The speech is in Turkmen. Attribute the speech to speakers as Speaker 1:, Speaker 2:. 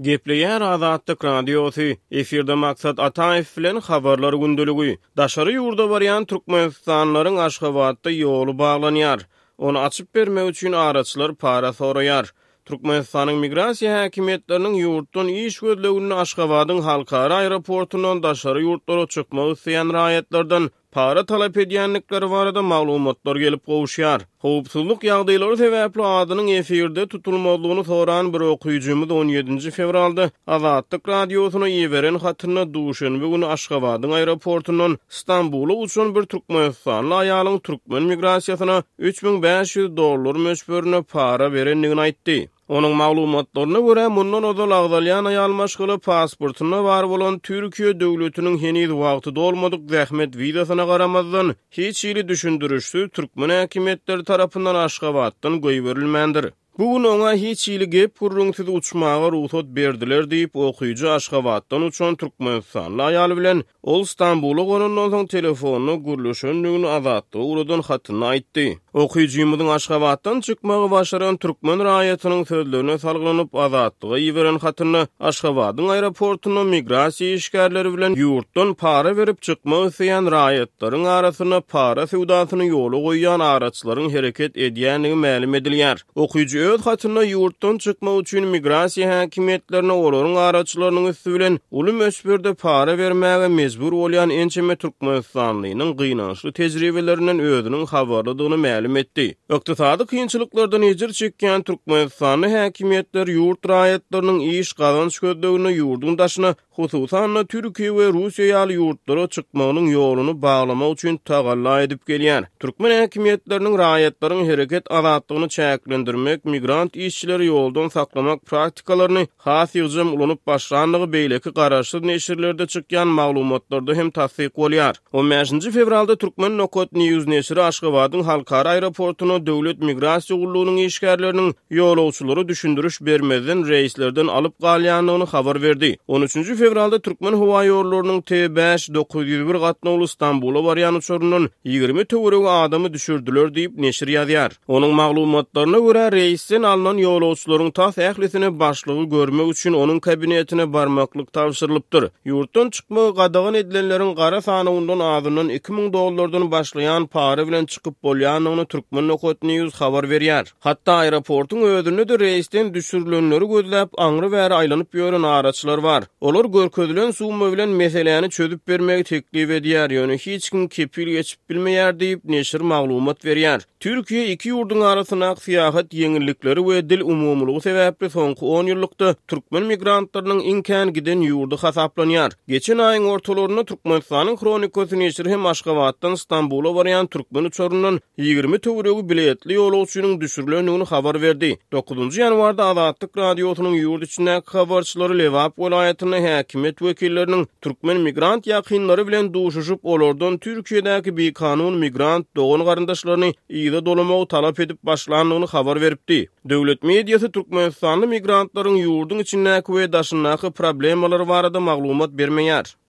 Speaker 1: Gepleýär Azatlyk Radiosy, efirde Maksat Ataýew bilen Habarlar gündeligi. Daşary ýurda barýan türkmenistanlylaryň Aşgabatda ýoly baglanýar. Ony açyp bermek üçin araçylar para soraýar. Türkmenistanyň migrasiýa häkimiýetleriniň ýurtdan iş gözleginde Aşgabadyň halkara aeroportundan daşary ýurtlara çykmak isleýän raýatlardan para talap edýändikleri barada maglumatlar gelip gowuşýar. Howpsuzlyk ýagdaýlary sebäpli adynyň efirde tutulmazlygyny soran bir okyjymyz on ýedinji fewralda Azatlyk Radiosyna iberen hatynda duşenbe güni Aşgabadyň aeroportundan Stambula uçan bir türkmenistanly aýalyň türkmen migrasiýasyna 3500 dollar möçberinde para berendigini aýtdy. Onuň maglumatlaryna görä, mundan ozal agzalýan aýal maşgala pasportynda bar bolan Türkiýe döwletiniň heniz wagty dolmadyk zähmet wizasyna garamazdan, hiç hili düşündirişsiz türkmen häkimiýetleri tarapyndan Aşgabatdan goýberilmändir. Bu gün oňa hiç hili gep-gürrüňsiz uçmaga rugsat berdiler diýip, okyjy Aşgabatdan uçan türkmenistanly aýal bilen Ol Stambula gonandan soň telefonda gürleşendigini Azatlyga ugradan hatynda aýtdy. Okyjymyzyň Aşgabatdan çykmagy başaran türkmen raýatynyň sözlerine salgylanyp, Azatlyga iberen hatynda Aşgabadyň aeroportunda migrasiýa işgärleri bilen ýurtdan para berip çykmak isleýän raýatlaryň arasynda para söwdasyny ýola goýýan araçylaryň hereket edýändigi mälim edilýär. Okyjy öz hatynda ýurtdan çykmak üçin migrasiýa häkimiýetlerine olaryň araçylarynyň üsti bilen uly möçberde para bermäge mejbur bolýan ençeme türkmenistanlynyň gynançly tejribelerinden özüniň habarlydygyny mälim etdi. Ykdysady kynçylyklardan ejir çekýän türkmenistanly häkimiýetler ýurt raýatlarynyň iş, gazanç gözleginde ýurduň daşyna hususan-da, Türkiýe we Russiýa ýaly ýurtlara çykmagynyň ýoluny baglamak üçin tagalla edip gelýär. Türkmen häkimiýetleriniň raýatlaryň hereket azatlygyny çäklendirmek, migrant işçileri ýoldan saklamak praktikalaryny has ýygjam ulanyp başlandygy beýleki garaşsyz neşirlerde çykýan maglumatlarda hem tassyk bolýar. On bäşinji fewralda Turkmen Nokat News neşiri Aşgabadyň halkara aeroportunda Döwlet migrasiýa gullugynyň işgärleriniň ýolagçylara düşündiriş bermezden reýslerden alyp galýandygyny habar berdi. On üçünji fewralda Türkmenhowaýollarynyň T-bäş 901 gatnawly Stambula barýan uçaryndan 20 töweregi adamy düşürdiler diýip, neşir ýazýar. Onuň maglumatlaryna görä, reýsden alnan ýolagçylaryň tas ählisine başlygy görmek üçin onuň kabinetine barmaklyk tabşyrylypdyr. Ýurtdan çykmagy gadagan edilenleriň gara sanawyndan azyndan 2000 dollardan başlaýan para bilen çykyp bolýandygyny Turkmen.news habar berýär. Hatda aeroportuň özünde-de reýsden düşürilenleri gözläp, aňry-bäri aýlanyp ýören araçylar bar. Olar görkezilen summa bilen meseläni çözüp bermegi teklip edýär, ýöne hiç kim kepil geçip bilmeýär diýip, neşir maglumat berýär. Türkiýe iki ýurduň arasyndaky syýahat ýeňillikleri we dil umumylygy sebäpli soňky on ýyllykda türkmen migrantlarynyň iň kän giden ýurdy hasaplanýar. Geçen aýyň ortalarynda Türkmenistanyň Hronikasy neşiri hem Aşgabatdan Stambula barýan türkmen uçaryndan 20 töweregi biletli ýolagçynyň düşürilendigini habar berdi. Dokuzynjy ýanwarda Azatlyk Radiosynyň ýurt içindäki habarçylary Lebap welaýatynda häkimiýet wekilleriniň türkmen migrant ýakynlary bilen duşuşyp, olardan Türkiýedäki bikanun migrant dogan-garyndaşlaryny yza dolamagy talap edip başlandygyny habar beripdi. Döwlet mediasy türkmenistanly migrantlaryň ýurduň içindäki we daşyndaky problemalary barada maglumat bermeýär.